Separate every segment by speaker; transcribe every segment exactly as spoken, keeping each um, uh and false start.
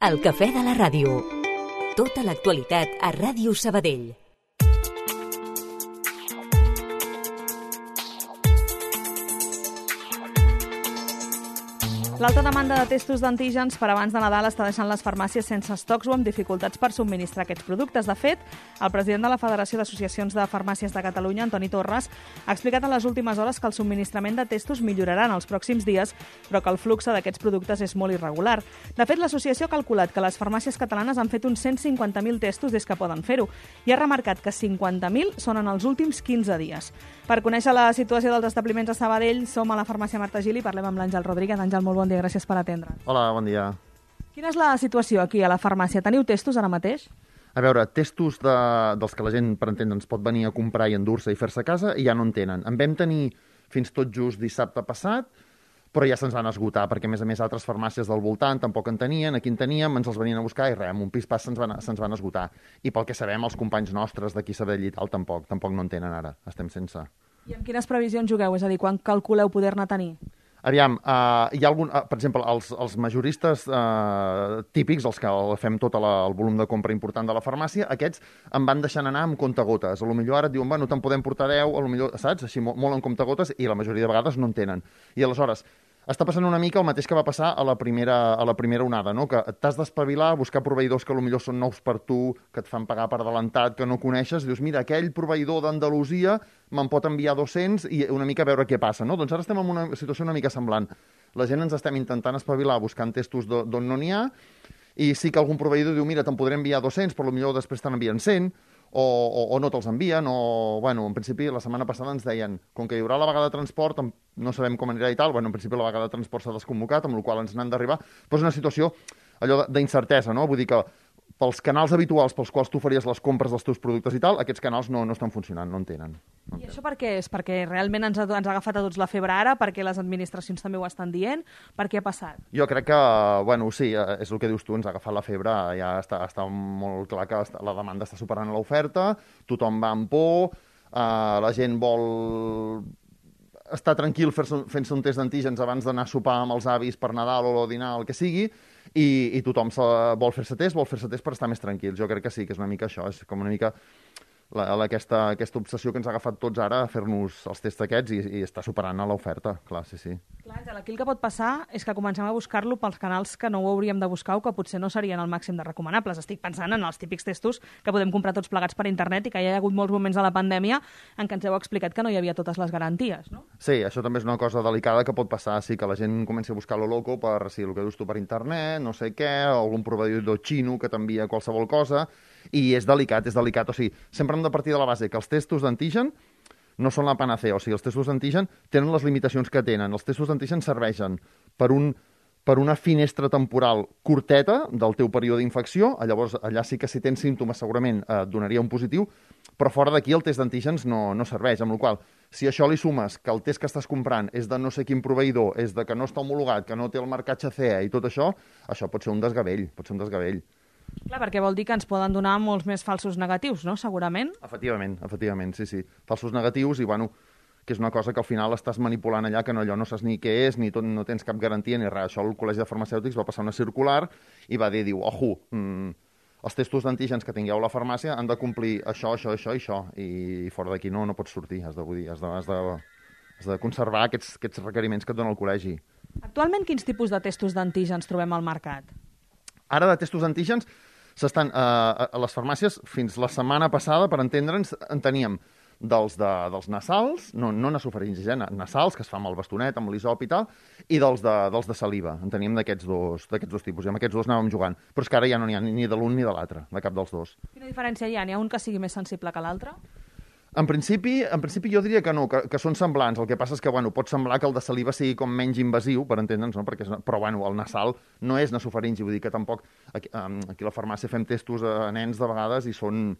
Speaker 1: El cafè de la ràdio. Tota l'actualitat a Ràdio Sabadell.
Speaker 2: L'alta demanda de testos d'antígens per abans de Nadal està deixant les farmàcies sense estocs o amb dificultats per subministrar aquests productes. De fet, el president de la Federació d'Associacions de Farmàcies de Catalunya, Antoni Torres, ha explicat en les últimes hores que el subministrament de testos millorarà en els pròxims dies, però que el flux d'aquests productes és molt irregular. De fet, l'associació ha calculat que les farmàcies catalanes han fet uns cent cinquanta mil testos des que poden fer-ho i ha remarcat que cinquanta mil són en els últims quinze dies. Per conèixer la situació dels establiments a Sabadell, som a la farmàcia Marta Gili i parlem amb l'Àngel Rodríguez. Àngel, molt bon dia, gràcies per atendre'ns.
Speaker 3: Hola, bon dia.
Speaker 2: Quina és la situació aquí a la farmàcia? Teniu testos ara mateix?
Speaker 3: A veure, testos de, dels que la gent, per entendre'ns, pot venir a comprar i endur-se i fer-se a casa, i ja no en tenen. En vam tenir fins tot just dissabte passat, però ja se'ns van esgotar, perquè a més a més altres farmàcies del voltant tampoc en tenien, aquí en teníem, ens els venien a buscar i res, amb un pis pas se'ns van, se'ns van esgotar. I pel que sabem, els companys nostres d'aquí Sabadell i tal tampoc, tampoc no en tenen ara, estem sense.
Speaker 2: I amb quines previsions jugueu? És a dir, quan calculeu poder-ne tenir?
Speaker 3: Aviam, uh, hi ha algun, uh, per exemple, els, els majoristes uh, típics, els que fem tot la, el volum de compra important de la farmàcia, aquests em van deixant anar amb comptagotes. A lo millor ara et diuen, bueno, te'n podem portar deu, a lo millor, saps? Així, molt, molt en comptagotes, i la majoria de vegades no en tenen. I aleshores, està passant una mica el mateix que va passar a la primera, a la primera onada, no? Que t'has d'espavilar, buscar proveïdors que potser són nous per tu, que et fan pagar per adelantat, que no coneixes, i dius, mira, aquell proveïdor d'Andalusia me'n pot enviar dos-cents i una mica a veure què passa, no? Doncs ara estem en una situació una mica semblant. La gent ens estem intentant espavilar buscant testos d'on no n'hi ha, i sí que algun proveïdor diu, mira, te'n podré enviar dos-cents, però potser després te'n envien cent, O, o, o no te'ls envien, o, bueno, en principi, la setmana passada ens deien, com que hi haurà la vaga de transport, no sabem com anirà i tal, bueno, en principi la vaga de transport s'ha desconvocat, amb la qual ens n'han d'arribar, però és una situació, allò d'incertesa, no? Vull dir que pels canals habituals pels quals tu faries les compres dels teus productes i tal, aquests canals no, no estan funcionant, no en tenen. No en
Speaker 2: I això per què és? Perquè realment ens ha, ens ha agafat a tots la febre ara, perquè les administracions també ho estan dient, per què ha passat?
Speaker 3: Jo crec que, bueno, sí, és el que dius tu, ens ha agafat la febre, ja està, està molt clar que la demanda està superant l'oferta, tothom va amb por, eh, la gent vol estar tranquil fent-se un test d'antígens abans d'anar a sopar amb els avis per Nadal o dinar, el que sigui, i, i tothom se, vol fer-se test, vol fer-se test per estar més tranquils. Jo crec que sí, que és una mica això, és com una mica la, la, aquesta, aquesta obsessió que ens ha agafat tots ara a fer-nos els tests aquests i, i està superant a l'oferta, clar, sí, sí.
Speaker 2: Clar, Àngel, aquí el que pot passar és que comencem a buscar-lo pels canals que no ho hauríem de buscar o que potser no serien el màxim de recomanables. Estic pensant en els típics testos que podem comprar tots plegats per internet i que hi ha hagut molts moments de la pandèmia en què ens heu explicat que no hi havia totes les garanties, no?
Speaker 3: Sí, això també és una cosa delicada que pot passar, sí, que la gent comenci a buscar lo loco per, sí, el que dius tu, per internet, no sé què, algun proveïdor xino que t'envia qualsevol cosa, i és delicat, és delicat. O sigui, sempre hem de partir de la base que els testos d'antigen no són la panacea, o sigui, els testos d'antigen tenen les limitacions que tenen. Els testos d'antigen serveixen per, un, per una finestra temporal curteta del teu període d'infecció, llavors allà sí que si tens símptomes segurament eh, et donaria un positiu, però fora d'aquí el test d'antígens no, no serveix, amb la qual cosa, si això li sumes que el test que estàs comprant és de no sé quin proveïdor, és de que no està homologat, que no té el marcatge C E i tot això, això pot ser un desgavell, pot ser un desgavell.
Speaker 2: Clar, perquè vol dir que ens poden donar molts més falsos negatius, no?, segurament.
Speaker 3: Efectivament, efectivament, sí, sí. Falsos negatius i, bueno, que és una cosa que al final estàs manipulant allà, que no, allò no saps ni què és, ni tot, no tens cap garantia ni res. Això el Col·legi de Farmacèutics va passar una circular i va dir, diu, ojo, mmm, els testos d'antígens que tingueu a la farmàcia han de complir això, això, això i això, i fora d'aquí no, no pots sortir, has de, vull dir, has de, has de, has de conservar aquests, aquests requeriments que et dona el col·legi.
Speaker 2: Actualment, quins tipus de testos d'antígens trobem al mercat?
Speaker 3: Ara de testos d'antígens s'estan eh, a les farmàcies, fins la setmana passada, per entendre'ns, en teníem dels, de, dels nasals, no, no nasofaringis, eh, nasals, que es fa amb el bastonet, amb l'isop i tal, i dels de, dels de saliva. En teníem d'aquests dos, d'aquests dos tipus, i amb aquests dos anàvem jugant. Però és que ara ja no n'hi ha ni de l'un ni de l'altre, de cap dels dos.
Speaker 2: Quina diferència hi ha? N'hi ha un que sigui més sensible que l'altre?
Speaker 3: En principi, en principi jo diria que no, que, que són semblants. El que passa és que, bueno, pot semblar que el de saliva sigui com menys invasiu, per entendre'ns, no? Perquè, però, bueno, el nasal no és nasofaringi, vull dir que tampoc... Aquí, aquí a la farmàcia fem testos a nens de vegades i són...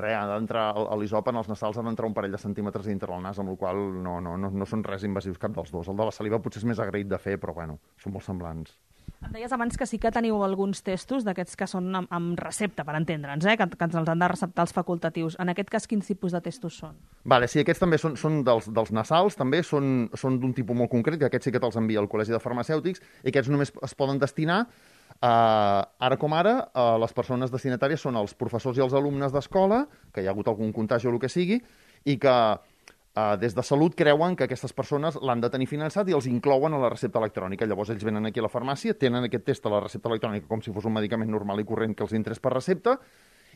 Speaker 3: Res, ha d'entrar l'isop en els nasals, ha d'entrar un parell de centímetres dintre el nas, amb la qual no, no, no, no són res invasius cap dels dos. El de la saliva potser és més agraït de fer, però, bueno, són molt semblants.
Speaker 2: Em deies abans que sí que teniu alguns testos d'aquests que són amb, amb recepta, per entendre'ns, eh? que, que ens els han de receptar els facultatius. En aquest cas, quins tipus de testos són?
Speaker 3: Vale, sí, aquests també són, són dels, dels nasals, també són, són d'un tipus molt concret, que aquests sí que te'ls envia el Col·legi de Farmacèutics, i aquests només es poden destinar Uh, ara com ara, uh, les persones destinatàries són els professors i els alumnes d'escola, que hi ha hagut algun contagi o el que sigui, i que uh, des de Salut creuen que aquestes persones l'han de tenir finançat i els inclouen a la recepta electrònica. Llavors ells venen aquí a la farmàcia, tenen aquest test a la recepta electrònica com si fos un medicament normal i corrent que els interès per recepta,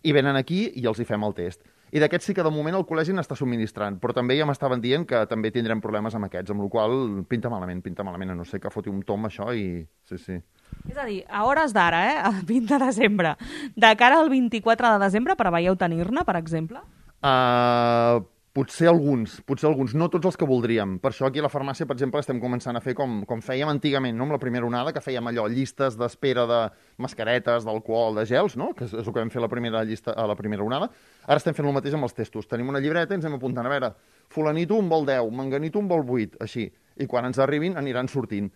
Speaker 3: i venen aquí i els hi fem el test. I d'aquests sí que de moment el col·legi n'està subministrant, però també ja m'estaven dient que també tindrem problemes amb aquests, amb la qual cosa pinta malament, pinta malament, a no ser que foti un tom això i... Sí, sí.
Speaker 2: És a dir, a hores d'ara, eh, el vint de desembre, de cara al vint-i-quatre de desembre, preveieu tenir-ne, per exemple?
Speaker 3: Uh, potser alguns, potser alguns, no tots els que voldríem. Per això aquí a la farmàcia, per exemple, estem començant a fer com, com fèiem antigament, no? Amb la primera onada, que fèiem allò, llistes d'espera de mascaretes, d'alcohol, de gels, no? Que és el que vam fer a la primera llista, a la primera onada. Ara estem fent el mateix amb els testos. Tenim una llibreta i ens anem apuntant, a veure, fulanito en vol deu, manganito en vol vuit, així. I quan ens arribin aniran sortint.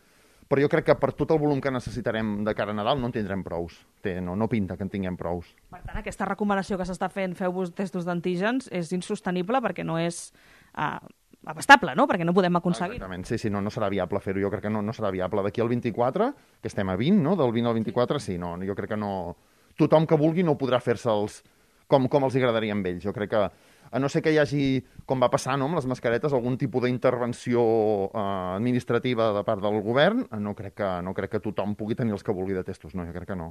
Speaker 3: Però jo crec que per tot el volum que necessitarem de cara a Nadal no en tindrem prous. Té, no, no pinta que en tinguem prous.
Speaker 2: Per tant, aquesta recomanació que s'està fent, feu-vos testos d'antígens, és insostenible perquè no és uh, abastable, no? Perquè no podem aconseguir.
Speaker 3: Exactament, sí, sí, no, no serà viable fer-ho. Jo crec que no, no serà viable. D'aquí al vint-i-quatre, que estem a vint, no? Del vint al vint-i-quatre, sí, no, jo crec que no... Tothom que vulgui no podrà fer-se'ls com, com els agradaria amb ells. Jo crec que a no ser que hi hagi, com va passar, no, amb les mascaretes, algun tipus d'intervenció eh, administrativa de part del govern, no crec, que, no crec que tothom pugui tenir els que vulgui de testos, no, jo crec que no.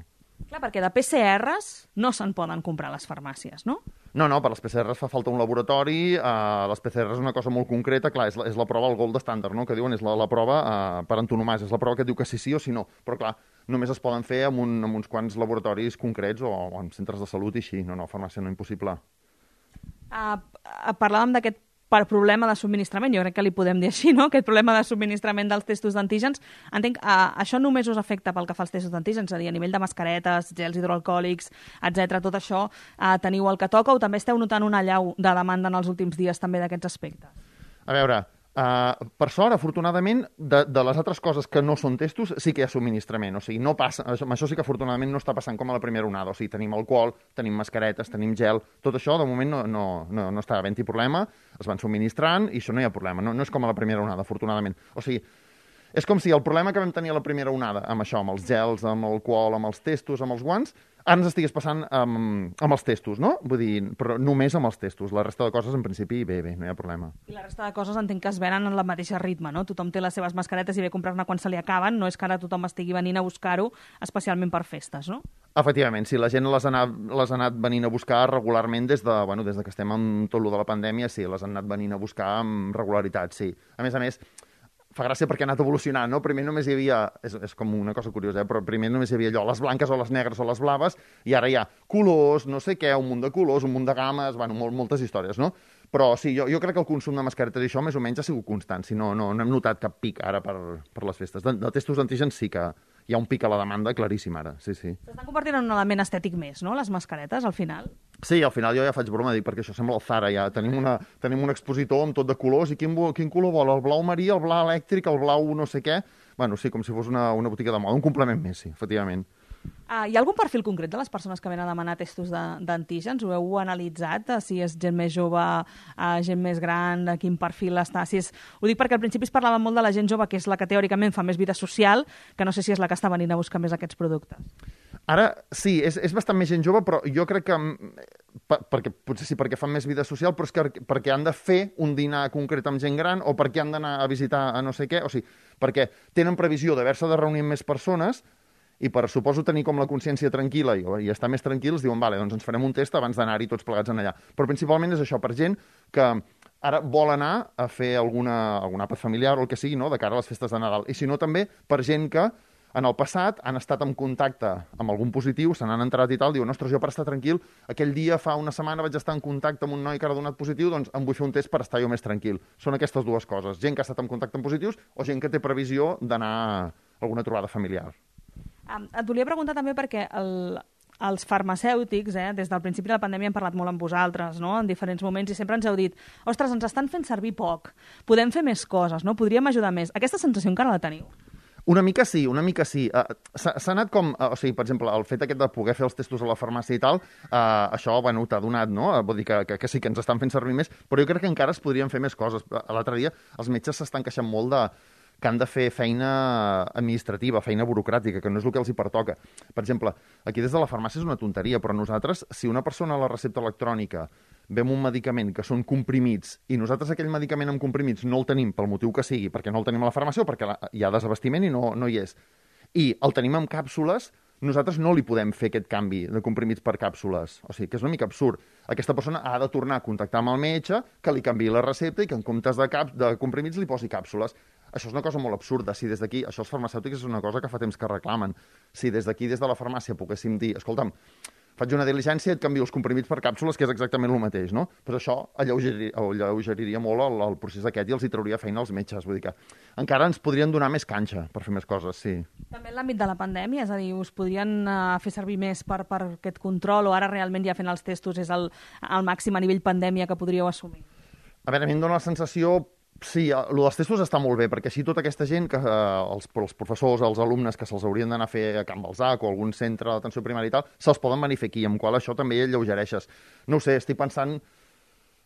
Speaker 2: Clar, perquè de P C Rs no se'n poden comprar a les farmàcies, no?
Speaker 3: No, no, per les P C Rs fa falta un laboratori, eh, les P C Rs és una cosa molt concreta, clar, és la, és la prova, el gold standard, no?, que diuen, és la, la prova eh, per antonomàsia, és la prova que diu que sí, sí o sí no, però clar, només es poden fer amb, un, amb uns quants laboratoris concrets o, o en centres de salut i així, no, no, farmàcia no, impossible.
Speaker 2: Uh, parlàvem d'aquest per problema de subministrament, jo crec que li podem dir així, no? Aquest problema de subministrament dels testos d'antígens. Entenc, uh, això només us afecta pel que fa als testos d'antígens, és a dir, a nivell de mascaretes, gels hidroalcohòlics, etcètera. Tot això uh, teniu el que toca o també esteu notant una allau de demanda en els últims dies també d'aquests aspectes?
Speaker 3: A veure, uh, per sort, afortunadament, de, de les altres coses que no són testos sí que hi ha subministrament, o sigui, no passa, això, això sí que afortunadament no està passant com a la primera onada, o sigui, tenim alcohol, tenim mascaretes, tenim gel, tot això de moment no, no, no, no està havent-hi problema, es van subministrant i això no hi ha problema, no, no és com a la primera onada, afortunadament. O sigui, és com si el problema que vam tenir a la primera onada, amb això, amb els gels, amb l'alcohol, amb els testos, amb els guants, ara ens estigués passant amb, amb els testos, no? Vull dir, però només amb els testos. La resta de coses, en principi, bé, bé, no hi ha problema.
Speaker 2: I la resta de coses entenc que es venen en la mateixa ritme, no? Tothom té les seves mascaretes i ve a comprar-ne quan se li acaben, no és que ara tothom estigui venint a buscar-ho, especialment per festes, no?
Speaker 3: Efectivament, sí, la gent les ha anat, les ha anat venint a buscar regularment des de, bueno, des de que estem amb tot lo de la pandèmia, sí, les han anat venint a buscar amb regularitat, sí. A més a més, fa gràcia perquè ha anat evolucionant, no? Primer només hi havia, és, és com una cosa curiosa, eh? Però primer només hi havia allò, les blanques o les negres o les blaves, i ara hi ha colors, no sé què, un munt de colors, un munt de games, bueno, molt, moltes històries, no? Però sí, jo, jo crec que el consum de mascaretes i això més o menys ha sigut constant, si no, no, no hem notat cap pic ara per, per les festes. De, de testos d'antígens sí que hi ha un pic a la demanda claríssim ara, sí, sí.
Speaker 2: S'estan convertint en un element estètic més, no?, les mascaretes, al final?
Speaker 3: Sí, al final jo ja faig broma, dic, perquè això sembla el Zara, ja. Tenim, una, tenim un expositor amb tot de colors, i quin, quin color vol? El blau marí, el blau elèctric, el blau no sé què... Bueno, sí, com si fos una, una botiga de moda, un complement més, sí, efectivament.
Speaker 2: Uh, hi ha algun perfil concret de les persones que venen a demanar testos d'antígens? Ho heu analitzat? Uh, si és gent més jove, uh, gent més gran, de quin perfil està? Si és... Ho dic perquè al principi es parlava molt de la gent jove, que és la que teòricament fa més vida social, que no sé si és la que està venint a buscar més aquests productes.
Speaker 3: Ara, sí, és, és bastant més gent jove, però jo crec que... Per, perquè, potser sí, perquè fan més vida social, però és que perquè han de fer un dinar concret amb gent gran o perquè han d'anar a visitar a no sé què, o sigui, perquè tenen previsió d'haver-se de reunir amb més persones i per, suposo, tenir com la consciència tranquil·la i, i estar més tranquils, diuen, vale, doncs ens farem un test abans d'anar-hi tots plegats en allà. Però principalment és això, per gent que ara vol anar a fer alguna, algun àpat familiar o el que sigui, no?, de cara a les festes de Nadal. I si no, també per gent que en el passat han estat en contacte amb algun positiu, se n'han enterat i tal, diuen, ostres, jo per estar tranquil, aquell dia fa una setmana vaig estar en contacte amb un noi que ha donat positiu, doncs em vull fer un test per estar jo més tranquil. Són aquestes dues coses, gent que ha estat en contacte amb positius o gent que té previsió d'anar a alguna trobada familiar.
Speaker 2: Um, et volia preguntar també perquè el, els farmacèutics, eh, des del principi de la pandèmia hem parlat molt amb vosaltres, no?, en diferents moments, i sempre ens heu dit, ostres, ens estan fent servir poc, podem fer més coses, no?, podríem ajudar més. Aquesta sensació encara la teniu?
Speaker 3: Una mica sí, una mica sí. Uh, S'ha anat com... Uh, o sigui, per exemple, el fet aquest de poder fer els testos a la farmàcia i tal, uh, això, bueno, t'ha donat, no? Uh, vull dir que, que, que sí que ens estan fent servir més, però jo crec que encara es podrien fer més coses. L'altre dia els metges s'estan queixant molt de que han de fer feina administrativa, feina burocràtica, que no és el que els hi pertoca. Per exemple, aquí des de la farmàcia és una tonteria, però nosaltres, si una persona a la recepta electrònica ve amb un medicament que són comprimits i nosaltres aquell medicament amb comprimits no el tenim pel motiu que sigui, perquè no el tenim a la farmàcia o perquè hi ha desabastiment i no, no hi és, i el tenim en càpsules, nosaltres no li podem fer aquest canvi de comprimits per càpsules. O sigui, que és una mica absurd. Aquesta persona ha de tornar a contactar amb el metge, que li canviï la recepta i que en comptes de, cap, de comprimits li posi càpsules. Això és una cosa molt absurda. Si des d'aquí, això els farmacèutics és una cosa que fa temps que reclamen. Si des d'aquí, des de la farmàcia, poguéssim dir, escolta'm, faig una diligència i et canvio els comprimits per càpsules, que és exactament el mateix, no? Però això alleugeriria, alleugeriria molt el, el procés aquest i els hi trauria feina als metges. Vull dir que encara ens podrien donar més canxa per fer més coses, sí.
Speaker 2: També en l'àmbit de la pandèmia, és a dir, us podrien uh, fer servir més per, per aquest control o ara realment ja fent els testos és el, el màxim a nivell pandèmia que podríeu assumir?
Speaker 3: A veure, a mi em dóna la sensació. Sí, el dels testos està molt bé, perquè així tota aquesta gent, que, eh, els, els professors, els alumnes que se'ls haurien d'anar a fer a Can Balzac o algun centre d'atenció primària i tal, se'ls poden venir a fer aquí, amb qual això també lleugereixes. No ho sé, estic pensant,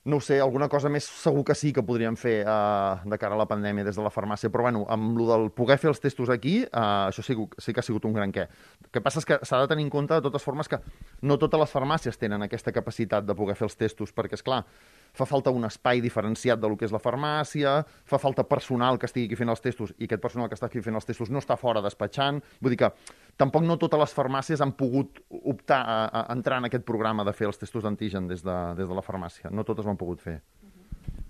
Speaker 3: no ho sé, alguna cosa més segur que sí que podríem fer eh, de cara a la pandèmia des de la farmàcia, però bueno, amb el del poder fer els testos aquí, eh, això sí, sí que ha sigut un gran què. El que passa és que s'ha de tenir en compte, de totes formes, que no totes les farmàcies tenen aquesta capacitat de poder fer els testos, perquè, és clar, fa falta un espai diferenciat del que és la farmàcia, fa falta personal que estigui aquí fent els testos i aquest personal que està aquí fent els testos no està fora despatxant. Vull dir que tampoc no totes les farmàcies han pogut optar a, a entrar en aquest programa de fer els testos d'antigen des de, des de la farmàcia. No totes ho han pogut fer.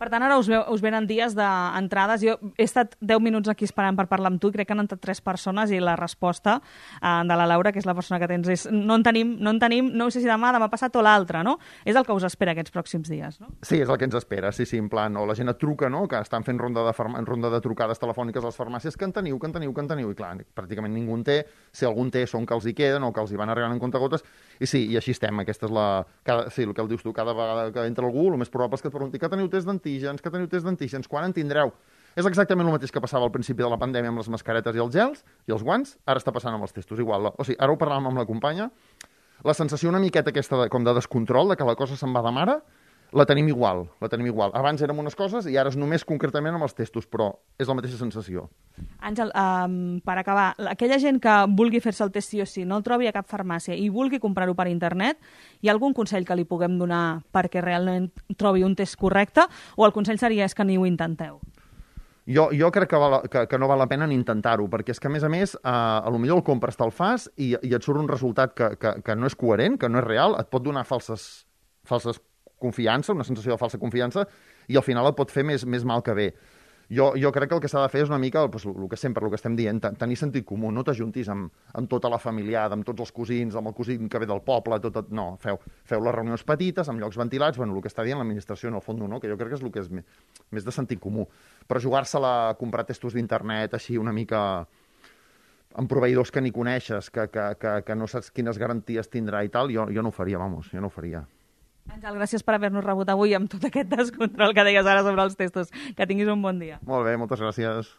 Speaker 2: Per tant, ara us, veu, us venen dies d'entrades. Jo he estat deu minuts aquí esperant per parlar amb tu i crec que han entrat tres persones i la resposta eh, de la Laura, que és la persona que tens, és no en tenim, no en tenim, no sé si demà, demà passat o l'altre, no? És el que us espera aquests pròxims dies, no?
Speaker 3: Sí, és el que ens espera, sí, sí, en plan, o la gent et truca, no?, que estan fent ronda de, farma, ronda de trucades telefòniques a les farmàcies, que en teniu, que en teniu, que en teniu, i clar, pràcticament ningú en té, si algun té són que els hi queden o que els hi van arribant en comptagotes, i sí, i així estem, aquesta és la... Cada, sí, el que el dius tu, cada vegada que entra algú, el més probable és que et pregunti que teniu test d'antígens, que teniu test d'antígens, quan en tindreu? És exactament el mateix que passava al principi de la pandèmia amb les mascaretes i els gels i els guants, ara està passant amb els testos igual. O sigui, ara ho parlàvem amb la companya, la sensació una miqueta aquesta de, com de descontrol, de que la cosa se'n va de mare, la tenim igual, la tenim igual. Abans érem unes coses i ara és només concretament amb els testos, però és la mateixa sensació.
Speaker 2: Àngel, um, per acabar, aquella gent que vulgui fer-se el test sí o sí, no el trobi a cap farmàcia i vulgui comprar-ho per internet, hi ha algun consell que li puguem donar perquè realment trobi un test correcte o el consell seria és que ni ho intenteu?
Speaker 3: Jo, jo crec que, val, que, que no val la pena ni intentar-ho, perquè és que, a més a més, eh, a lo millor el compres, te'l fas i, i et surt un resultat que, que, que no és coherent, que no és real, et pot donar falses, falses confiança, una sensació de falsa confiança, i al final et pot fer més, més mal que bé. Jo, jo crec que el que s'ha de fer és una mica pues, el que sempre, el que estem dient, tenir sentit comú, no t'ajuntis amb, amb tota la familiada, amb tots els cosins, amb el cosín que ve del poble, tot, tot, no, feu, feu les reunions petites, amb llocs ventilats, bueno, el que està dient l'administració en el fons, no? Que jo crec que és el que és més, més de sentit comú. Però jugar-se-la a comprar testos d'internet així una mica amb proveïdors que ni coneixes, que, que, que, que no saps quines garanties tindrà i tal, jo, jo no ho faria, vamos, jo no ho faria.
Speaker 2: Àngel, gràcies per haver-nos rebut avui amb tot aquest descontrol que deies ara sobre els testos. Que tinguis un bon dia.
Speaker 3: Molt bé, moltes gràcies.